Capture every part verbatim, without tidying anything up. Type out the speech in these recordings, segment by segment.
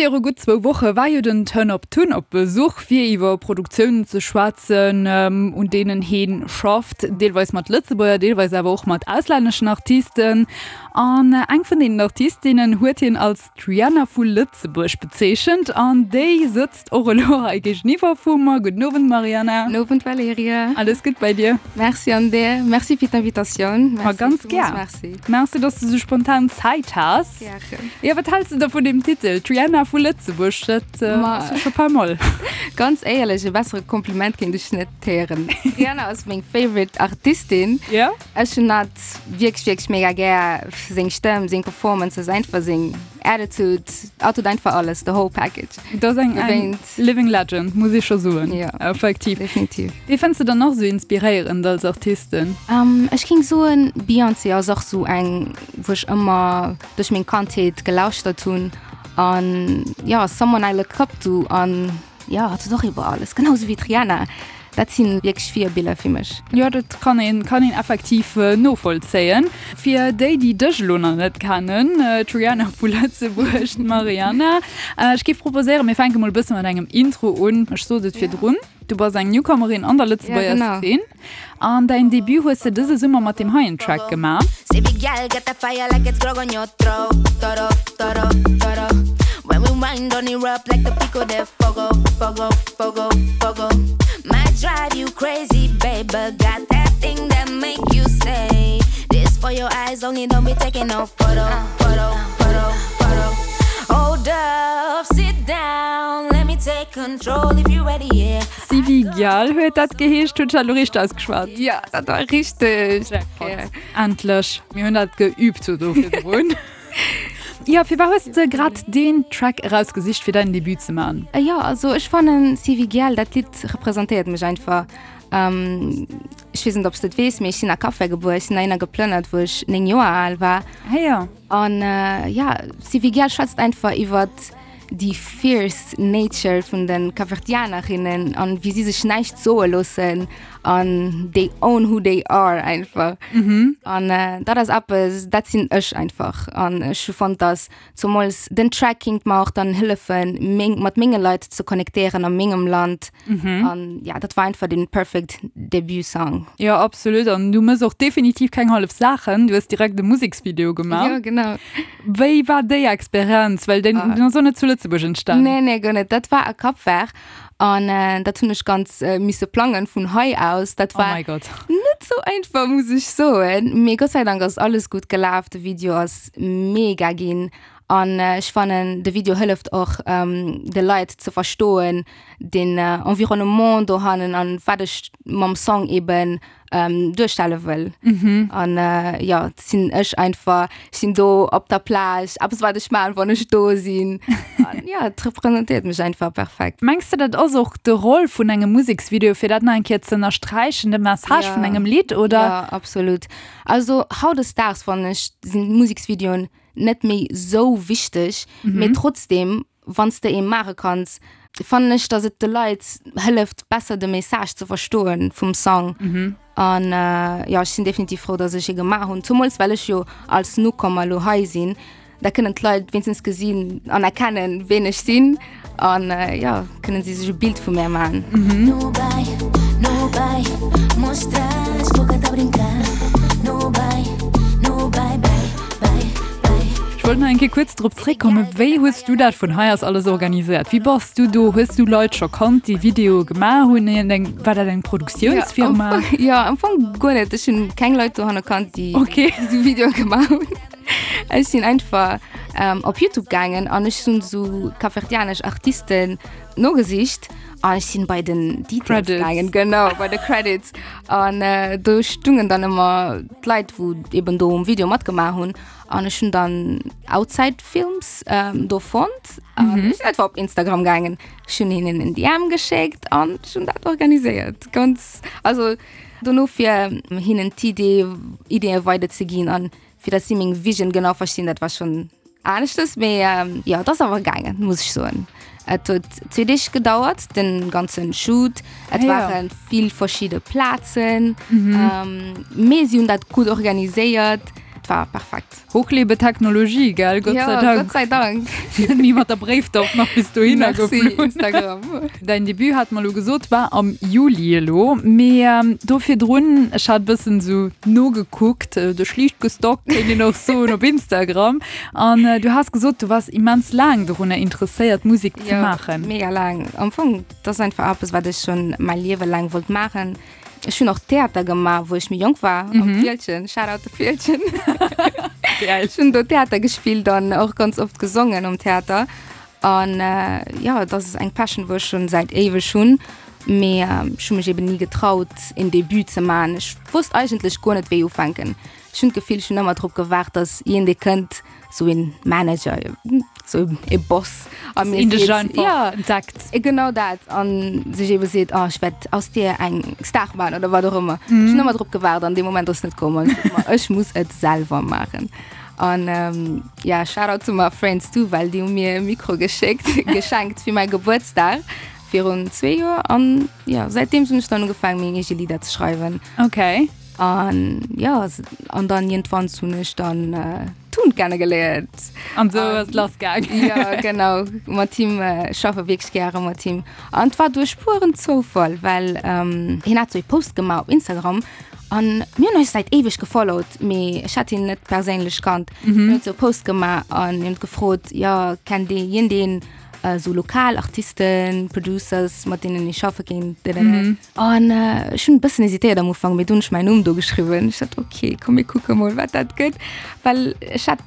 Viru gutt zwou Woche war jo den Turn Up Tun op Besuch fir iwwer Produktiounen ze schwätzen, un deenen hien schafft, deelweis mat Lëtzebuerger, deelweis awer och mat auslänneschen Artisten. An eng vun deenen Artistinnen huet hien als d'Rihanna vu Lëtzebuerg bezeechent an déi sëtzt och elo hei géigeniwwer vu mer. Gudden Owend Marianna. Gudden Owend Valerija. Alles gutt bei dir? Merci an dir. Merci fir d'Invitatioun. Ma ganz gär. Merci. Merci, dass du sou spontan Zäit has. Gären. Jo, wat häls de da vun deem Titel, d'Rihanna vu Lëtzebuerg? Dat ass jo scho pas mal. Ganz éierlech, e bessere Kompliment kéint ech net héieren. D'Rihanna ass meng favorite Artistin. Jo. Ech hunn hatt wierklech, wierklech mega gär. Seng Stëmm, seng Performances, einfach seng Attitude, hatt huet einfach alles, the whole package. Dat ass eng, eng living legend, muss ee scho soen. Jo. Effektiv. Definitiv. Wee fënns de dann nach sou inspiréierend als Artisten? Ech géing soen, Beyoncé ass och sou eng, wou ech ëmmer duerch meng Kandheet gelauschtert hunn an jo, someone I look up to an jo, hatt huet och iwwer alles, genau sou wéi d'Rihanna. Dat si wierklech Virbiller fir mech. Jo, dat kann een, kann een effektiv novollzéien. Fir déi, déi dech elo nach net kennen, d'Rihanna vu Lëtzebuerg, d'Marianna. Ech géif proposéieren, mir fänke mol e bësse mat engem Intro un. Ech sot et virdrun, du bass eng Newcomerin an der Lëtzebuerger Zeen. An däin Debut hues de dëse Summer mat deem heien Track gemaach. Sivi Gyal huet dat geheescht. Hunn ech dat elo richteg ausgeschwat? Jo, dat war richteg. Jackpot. Endlech. Mir hunn dat geüübt sou do virdrun. Jo, firwat hues de grad deen Track erausgesicht fir däin Debut ze man? Jo, also ech fannen Sivi Gyal, dat Lidd representéiert mech einfach. Ech weess net ob s de et weess, mee ech sinn a Cap Vert gebuer, ech sinn heihinner geplënnert wou ech néng Joer al war. Ah jo. An jo, Sivi Gyal schwätzt einfach iwwert déi fierce Nature vun de Kapverdianerinnen an wéi si sech näischt soe loossen an they own who they are einfach. An dat ass eppes, dat sinn ech einfach. An ech hu fonnt, dass zumools den Track kinnt mer och dann hëllefen, meng, mat menge Leit ze connectéieren a mengem Land. An ja, dat war einfach den perfect Debut-Song. Jo, absolut. An du mëss och definitiv keng hallef Saachen. Du hues direkt e Museksvideo gemaach. Jo, genau. Wéi war déi Experienz? Well deen, deen ass och net zu Lëtzebuerg entstan. Nee, nee, guer net. Dat war a Cap Vert. An dat hunn ech ganz misse plangen vun hei aus. Dat war oh my God. net sou einfach, muss ech soen. Mee Gott sei Dank ass alles gutt gelaf. De Video ass mega ginn. An ech fannen, de Video hëlleft och de Leit ze verstoen, den Environnement dohannen an wat ech mam Song eben duerstelle wëll. An jo, et sinn ech einfach, ech sinn do op der Plage, eppes wat ech maachen, wann ech do sinn. An jo, et representéiert mech einfach perfekt. Mengs de dat ass och de Roll vun engem Museksvideo, fir dat nach eng Kéier ze ënnersträichen, de Message vun engem Lidd, oder? Jo, absolut. Also hautdesdaags fannen ech sinn Museksvideoen net méi sou wichteg, mee trotzdem wann s de ee maache kanns, fannen ech, datt et de Leit hëlleft besser de Message ze verstoen vum Song. An jo, ech sinn definitiv frou, datt ech ee gemaach hunn, zumools well ech jo als Newcomer elo hei sinn. Da kënnen d'Leit wéinstens gesinn an erkennen, ween ech sinn. An jo, kënnen si sech e Bild vu mär maachen. Ech wollt nach eng Kéier kuerz drop zréckkommen, Wéi hues du dat vun hei aus alles organiséiert? Wéi bass du do? Hues du Leit scho kannt, déi Videoe gemaach hunn? War dat eng Produktiounsfirma? Jo, am Fong guer net. Ech hunn keng Leit dohanne kannt, déi esou Videoe gemaach hunn. Ech sinn einfach op Youtube gaangen an ech hunn esou kapverdianesch Artisten nogesicht an ech sinn bei den Details gaangen, genau, bei de Credits. An do stungen dann ëmmer d'Leit, wou eben do um Video matgemaach hunn. An ech hunn dann Outside Films do fonnt an ech sinn einfach op Instagram gaangen. Ech hunn hinnen en D M geschéckt an ech hunn dat organiséiert. Ganz, also dono fir hinnen d'Idee, Ideeë weiderzeginn an fir datt si meng Vision genau verstinn, dat war schonn aneschtes, mee jo, et ass awer gaangen, muss ech soen. Et huet zwee Deeg gedauert, den ganzen Shoot. Et waren vill verschidde Plazen, mee si hunn dat gutt organiséiert. Et war perfekt. Hoch lebe Technologie, gell? Gott ja, sei Dank. Gott sei Dank. Net mat der Bréifdauf nach bis dohinner Merci, geflunn. Instagram. Däin Debut hat mer lo gesot war am Juli elo, mee do virdrun, ech hat bëssen sou nogekuckt, dech liicht gestalkt kéint een och soen op Instagram, an du has gesot du wars immens laang dorunner interesséiert Musek ze Jo, maachen. mega laang. Am Fong, dat ass einfach eppes wat ech schonn mäi Liewe laang wollt maachen. Ech hunn och Theater gemaach, wou ech méi jonk war, am Mhm. Fieldgen. Shoutout de Fieldgen. Geil. Ech hunn do Theater gespillt an och ganz oft gesongen um Theater. An äh, ja, dat ass eng Passion, wou ech schonn säit éiweg hunn. Mee ähm, ech hu mech eben ni getraut, en Debut ze maachen. Ech wosst eigentlech guer net, wéi ufänken. Ech hunn d'Gefill, ech hunn ëmmer drop gewaart, dass een dee kënnt, sou een Manager, sou e Boss a mir Een dech seet, einfach ja, entdeckt. Genau dat an sech eben seet, oh, ech wäert aus dir eng Star maachen oder wat och ëmmer. Mhm. Ech hunn ëmmer drop gewaart an dee Moment ass net komm an ech sot mer, ech muss et selwer maachen. An ähm, ja, Shoutout to my friends too, well déi hu mir e Mikro geschéckt, geschenkt fir mäi Gebuertsdag virun zwee Joer an ja, säitdeem hunn ech dann ugefaangen, meng eege Lidder ze schreiwen. Okay. An ja, an dann iergendwann hunn ech dann äh, Tun kennegeléiert. An sou ass et lassgaangen. Ja, genau. Mat him äh, schaffe wierklech gäre mat him. An et war duerch puren Zoufall, well ähm, hien hat sou e Post gemaach op Instagram an mir hunn eis säit éiweg gefollowt, mee ech hat hien net perséinlech kannt. Mhm. Hien huet sou e Post gemaach an hien huet gefrot, ja, kennt Dir iergendeen äh, sou lokal Artisten, Producers, mat deenen ech schaffe kéint. Mhm. An äh, ech hunn e bëssen hesitéiert am Ufank, mee dunn hunn ech mäin Numm do geschriwwen. Ech sot, okay, komm mir kucke mol, wat dat gëtt. Well ech hat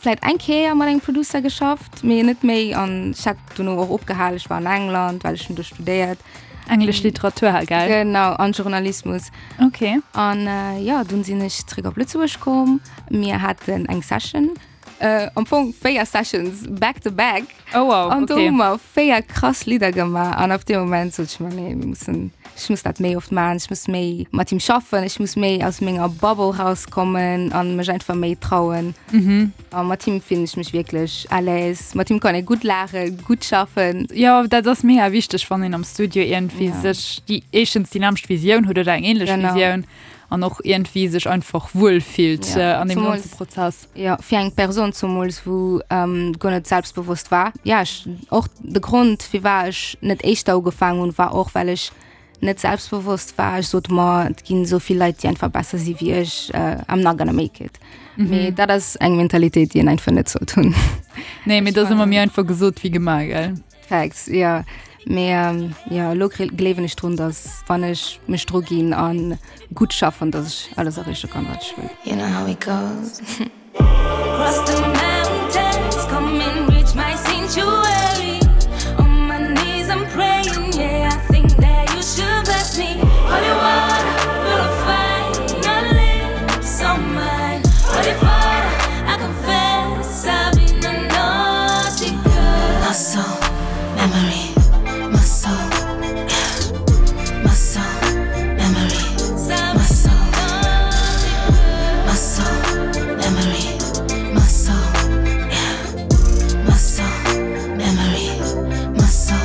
vläicht eng Kéier mat engem Producer geschafft, mee net méi an ech hat dono och opgehalen. Ech war an England, well ech hunn do studéiert. Englesch Literatur, gell? Genau, an Journalismus. Okay. An äh, ja, dunn sinn ech zréck op Lëtzebuerg komm. Mir haten eng Session. Äh, am Fong véier Sessions back to back. Oh wow, An do okay. hu mer véier krass Lidder gemaach. An op deem Moment sot ech mer, nee, mir mussen, ech muss dat méi oft maachen, ech muss méi mat him schaffen, ech muss méi aus menger Bubble rauskommen an mech einfach méi trauen. Mhm. A mat him fillen ech mech wierklech à l'aise. Mat him kann ee gutt laachen, gutt schaffen. Jo, dat ass mega wichteg, wann een am Studio iergendwéi Ja. sech déi éischtens déi nämmlecht Visioun huet oder eng ähnlech Genau. Visioun an och iergendwéi sech einfach wuel fillt Ja, an deem zumools ganze Prozess. Ja, fir eng Persoun zumools, wou ähm, guer net selbstbewosst war. Ja, ech, och de Grond, firwat ech net éischter ugefaangen hunn, war och, well ech net selbstbewosst war. Ech sot mer, et ginn esou vill Leit, déi einfach besser si wéi ech, äh, I'm not gonna make it. Mhm. Mee dat ass eng Mentalitéit, déi een einfach net sollt hunn. Nee, mee Ech dat ass ëmmer fannen méi einfach gesot wéi gemaach, gell? Facts, ja. Mee ähm, ja, elo gleewen ech drun, dass wann ech mech dru ginn an gutt schaffen, dass ech alles erreeche kann, wat ech wëll. You know how it goes. Cross the mountains, come and reach my sanctuary. On my knees I'm praying, yeah, I think that you should bless me. Holy water, purify your lips on mine. Holy Father, I confess I've been a naughty girl. My soul, memory, my soul, yeah. My soul, memory, my soul, my soul, memory, my soul, yeah. My soul, memory, my soul.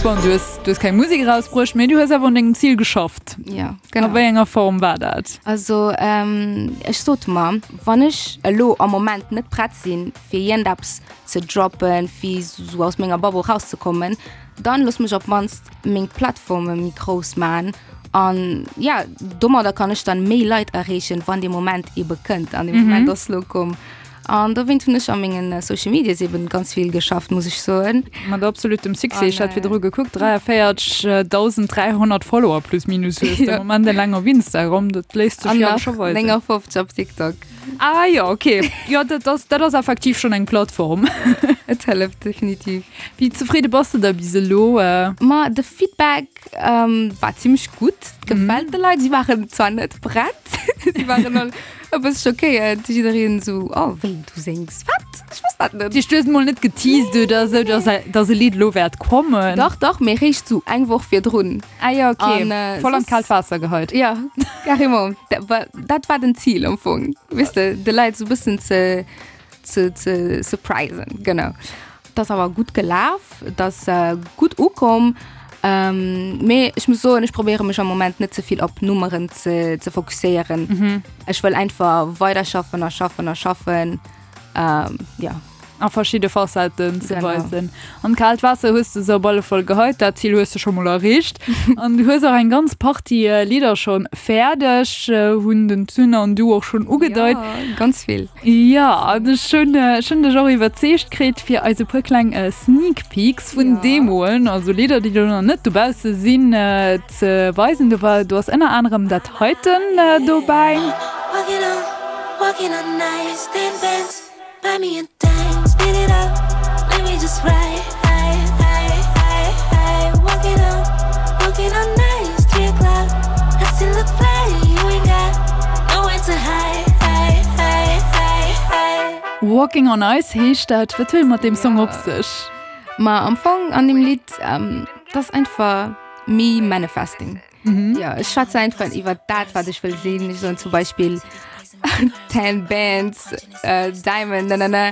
Bon, du hues, du hues keng Musek erausbruecht, mee du hues awer un dengem Zil geschafft. Ja, A genau. wéi enger Form war dat? Also ähm, ech sot mer, wann ech elo am Moment net prett sinn, fir iergendeppes ze droppen, fir sou aus menger Bubble rauszekommen, dann looss mech op d'mannst meng Plattforme méi grouss maachen. An ja, domadder kann ech dann méi Leit erreechen, wann dee Moment ebe kënnt. An dee Moment ass elo komm. An dowéinst hunn ech a mengen Social Medias eben ganz vill geschafft, muss ech soen. Mat absolutem Succès. An, Ech hat virdru gekuckt, dräiavéierzegdausend-dräihonnert Follower plus minus hues de Ja. am Moment eleng op Instagram. Dat léisst sech An jo nach scho weisen. néngafofzeg op TikTok. Ah jo, okay. Jo, dat ass, dat ass effektiv schonn eng Plattform. Et hëlleft definitiv. Wéi zefridde bass de da bis elo? Ma de Feedback ähm, war zimmlech gutt. Et gefält de Leit. Si waren zwar net prett, si waren all e bësse schockéiert. Jiddereen esou, oh wéi, du séngs? Wat? Ech wosst dat net. Déi du hues mol net geteased oder esou, dass dass e Lidd elo wäert kommen? Dach, dach, mee réischt sou eng Woch virdrun. Ah jo, okay. An, äh, Voll an soss d'kaalt Waasser geheit. Ja, carrément. Dat war, dat war den Zil am Fong. Weess de, de Leit sou bëssen ze, ze, ze surprisen, genau. Dat ass awer gutt gelaf, dat ass äh, gutt ukomm. Ähm, mee ech muss soen, ech probéiere mech am Moment net ze vill op Nummeren ze, ze fokusséieren. Mhm. Ech wëll einfach weider schaffen a schaffen a schaffen. Ähm, ja. A verschidde Facetten ze Genau. weisen. An d'kaalt Waasser hues de se op alle Fall geheit, dat Zil hues de scho mol erreecht. An du hues och eng ganz Partie äh, Lidder schonn fäerdeg, äh, hunn den Tun an du och schonn ugedeit. Ja, ganz vill. Ja, an ech hunn, äh, ech hunn dech och iwwerzeegt kritt, fir eis e puer kleng äh, Sneak Peeks vun Ja. Demoen, also Lidder, déi do nach net dobausse sinn, äh, ze weisen. Do war, do ass ënner anerem dat heiten äh, dobäi. Walking on, walking on ice, ten bands, buy me a dime, speed it up, let me just ride, high, high, high, high. Walking on, walking on ice, three o'clock, I still look fly, you ain't got nowhere to hide, hide, hide, hide, hide. Walking on Ice heescht dat. Wat huet et mat deem Song op sech? Ma am Fong an deem Lidd, ähm, dat ass einfach me manifesting. Mhm. Ja, ech schwätze einfach iwwer dat, wat ech wëll sinn. Ech soen zum Beispill ten bands, äh, diamond, na, na, na.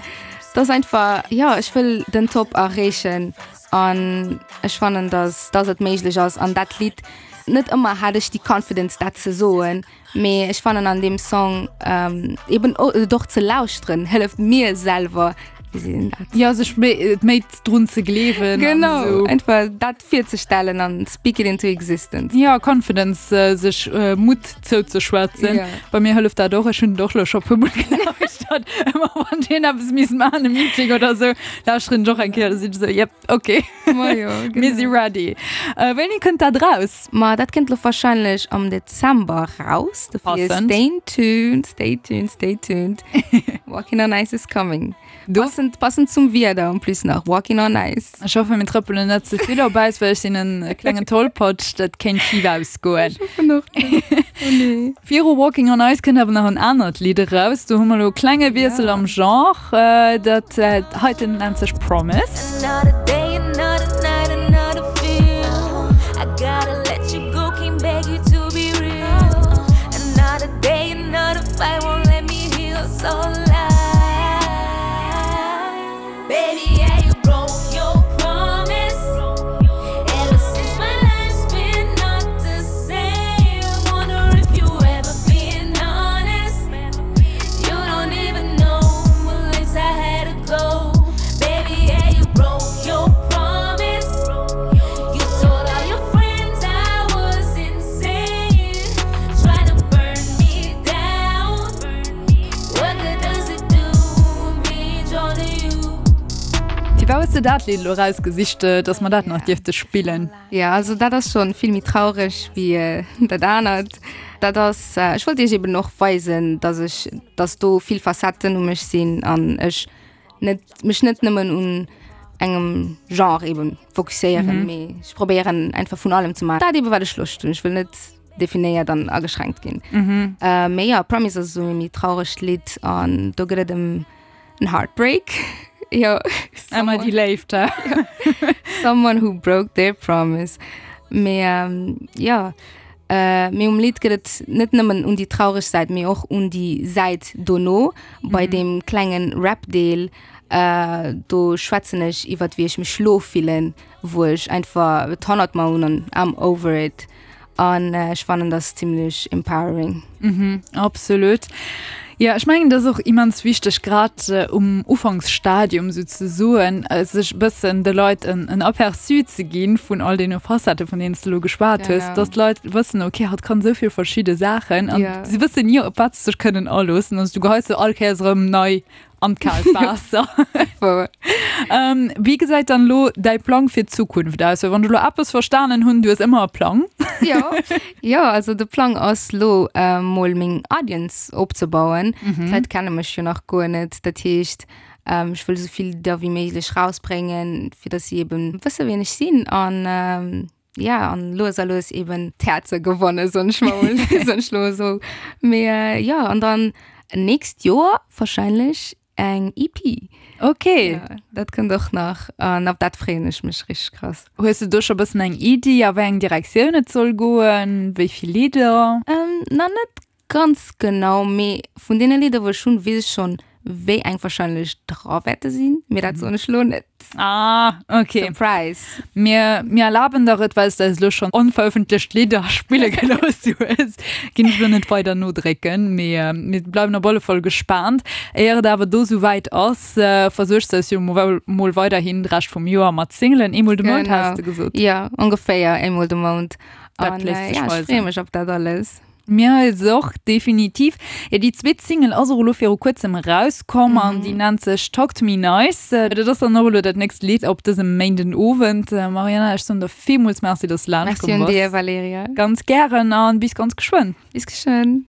Dat ass einfach, ja, ech wëll den Top erreechen an ech fannen, dass, dass et méiglech ass. An dat Lidd, net ëmmer hat ech déi Confidence, dat ze soen, mee ech fannen an deem Song ähm, eben o- doch ze lauschteren, hëlleft mir selwer, wéi seet een dat? Ja, sech méi, méi drun ze gleewen an Genau, sou. einfach dat virzestellen an speak it into existence. Ja, Confidence, äh, sech äh, Mutt zouzeschwätzen. Ja. Bei mir hëlleft dat och, ech hunn och lo scho puer Mol gelauschtert. Ëmmer wann deen eppes misst maachen, e Meeting oder sou, lauschteren ech och eng Kéier, da sinn ech sou, yep, okay. Ma jo, Mir si genau. ready. Äh, wéini kënnt dat raus? Ma dat kënnt lo warscheinlech am Dezember raus. Dofir Passend. Stay tuned, stay tuned, stay tuned. Walking on Ice is coming. Du? Passend, passend zum Wieder en plus nach Walking on Ice. Ech hoffe mir trëppelen net ze vill op Äis, well ech sinn en klengen Tollpatsch, dat kéint schif ausgoen. Ech hoffen och net. Oh nee. Viru Walking on Ice kënnt awer nach en anert Lidd eraus. Do hu mer lo e klenge Wiessel Ja. am Genre. Äh, dat äh, heiten nennt sech Promise. Another day, another night, another feel. I gotta let you go, can't beg you to be real. Another day, another fight won't let me heal. So lie. Baby, yeah, you broke your promise. Ever since my life's been not the same. Wonder if you ever been honest. You don't even know what lengths I had to go. Baby, yeah, you broke your promise. You told all your friends I was insane. Trying to burn me down. What good does it do? Me drawn to you. Firwat hues de dat Lidd lo rausgesicht, dass mer dat nach dierfte spillen? Ja, also dat ass schonn vill méi traureg wéi äh, dat anert. Dat ass, äh, ech wollt iech eben och weisen, dass ech, dass do vill Facetten u mech sinn an ech net, mech net nëmmen un engem Genre eben fokusséieren, Mhm. mee ech probéieren einfach vun allem ze maachen. Dat eben wat ech Loscht hunn. Ech wëll net definéiert an ageschränkt ginn. Mhm. Äh, mee ja, Promise ass sou e méi trauregt Lidd an do geet et ëm en Heartbreak. Ja, Ëmmer déi Léift, hä? someone who broke their promise. Mee ähm, ja, äh, mee um Lidd geet et net nëmmen ëm déi traureg Säit, mee och ëm déi Säit dono, bei Mhm. deem klengen Rap-Deel, äh, do schwätzen ech iwwer wéi ech mech lo fillen, wou ech einfach et hannert mer hunn an I'm over it. An äh, ech fannen dat zimmlech empowering. Mhm, absolut. Ja, ech mengen, dat ass och immens wichteg, grad äh, um Ufanksstadium souzesoen, äh, sech bëssen de Leit en, en Aperçu ze ginn vun all deene Facettë, vun deenen s du lo geschwat hues, Genau. dass d'Leit wëssen, okay, hatt kann sou vill verschidde Saachen an Ja. si wëssen ni, op wat se sech kënnen aloossen. Also du geheis se all Kéiers erëm nei an d'kaalt Waasser. Voll. Ähm, wéi gesäit dann lo däi Plang fir d'Zukunft aus? Well wann ech lo eppes verstanen hunn, du hues ëmmer e Plang. Ja. Ja, also de Plang ass lo äh, mol meng Audience opzebauen. Mhm. D'Leit kenne mech jo nach guer net. Dat heescht, ähm, ech wëll sou vill Lidder wéi méiglech rausbréngen, fir dass si eben wësse wien ech sinn an ähm, ja, an lues a lues eben d'Häerzer gewannen, soen ech mol, soen ech lo sou. Mee, äh, ja, an dann nächst Joer warscheinlech eng E P. Okay. Ja, dat kënnt och nach an op dat freeën ech mech richteg krass. Hues du do scho bëssen eng Iddi, a wéi eng Direktioun et soll goen, wéi vill Lidder? Ähm, na net ganz genau, mee vun deene Lidder wou ech hunn, weess ech schonn, wéi eng wahrscheinlech dra wäerte sinn, mee dat soen ech lo net. Ah, okay. Surprise! Mir, mir erlaben der et, well s de eis elo schonn onverëffentlecht Lidder spille gelooss hues, ginn ech elo net weider nodrécken, mee mir bleiwen op alle Fall gespaant. Éier et awer do souwäit ass, versuergs de eis jo mol weiderhin de Rescht vum Joer mat Singlen. Eemol de Mount, has de gesot? Jo, ongeféier eemol de Mount. Dat léisst sech weisen. Ech freeë mech op dat alles. Mir eis och, definitiv. Jo, déi zweet Single ass och elo viru kuerzem erauskomm an déi nennt sech Talk to me nice. Dat ass dann och elo dat nächst Lidd op dësem Méinden Owend. Mariana, ech soen der villmools Merci, dass de laanscht komm bass. Merci un dir, Valerija. Ganz gären an bis ganz geschwënn. Bis geschwënn.